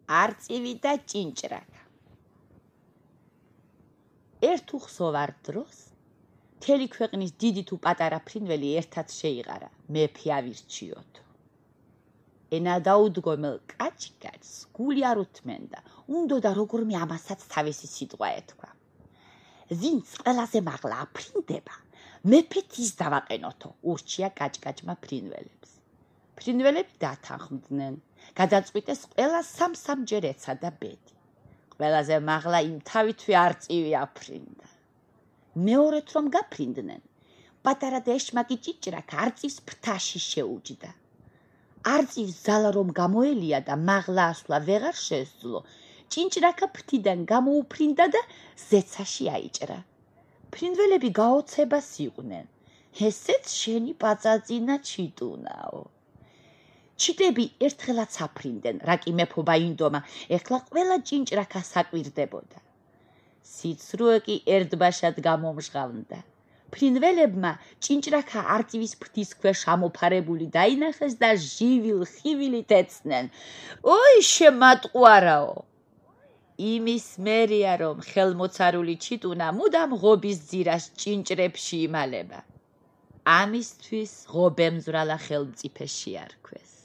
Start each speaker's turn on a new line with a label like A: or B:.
A: არწივი და ჭინჭრაკა. ერთ უხსოვარ დროს მთელი ქვეყნის დიდი თუ პატარა ფრინველი ერთად შეიყარა, მეფე ავირჩიოთო. ენა დაუდგომელ კაჭკაჭს გული არ უთმენდა, უნდოდა როგორმე ამასაც თავისი სიტყვა ეთქვა. ვინც ყველაზე მაღლა აფრინდება, მეფეთ ის დავაყენოთო, ურჩია კაჭკაჭმა ფრინველებს. ფრინველები დათანხმდნენ, გადაწყვიტეს ყველა სამ-სამჯერ ეცადა ბედი. ყველაზე მაღლა იმ თავითვე არწივი აფრინდა. მეორეთ რომ გაფრინდნენ, პატარა და ეშმაკი ჭინჭრაკა არწივს ფრთაში შეუჯდა. არწივს ძალა რომ გამოელია და მაღლა ასვლა ვეღარ შესძლო, ჭინჭრაკა ფრთიდან გამოუფრინდა და ზეცაში აიჭრა. ფრინველები გაოცებას იყვნენ, ესეც შენი პაწაწინა ჩიტუნაო. ჩიტები ერთხელაც აფრინდნენ, რა კი მეფობა ინდომა, ეხლა ყველა ჭინჭრაკა საკვირდებოდა. სიცრუე კი ერთბაშად გამომჟღავნდა. ფრინველებმა ჭინჭრაკა არწივის ფრთის ქვეშ ამოფარებული დაინახეს და ჟივილ-ხივილით ეცნენ. ოი შემატყვარაო! იმის მერია რომ ხელმოცარული ჩიტუნა მუდამ ღობის ძირას ჭინჭრებში იმალება. ამისთვის ღობემძვრალა ხელმწიფე შეარქვეს.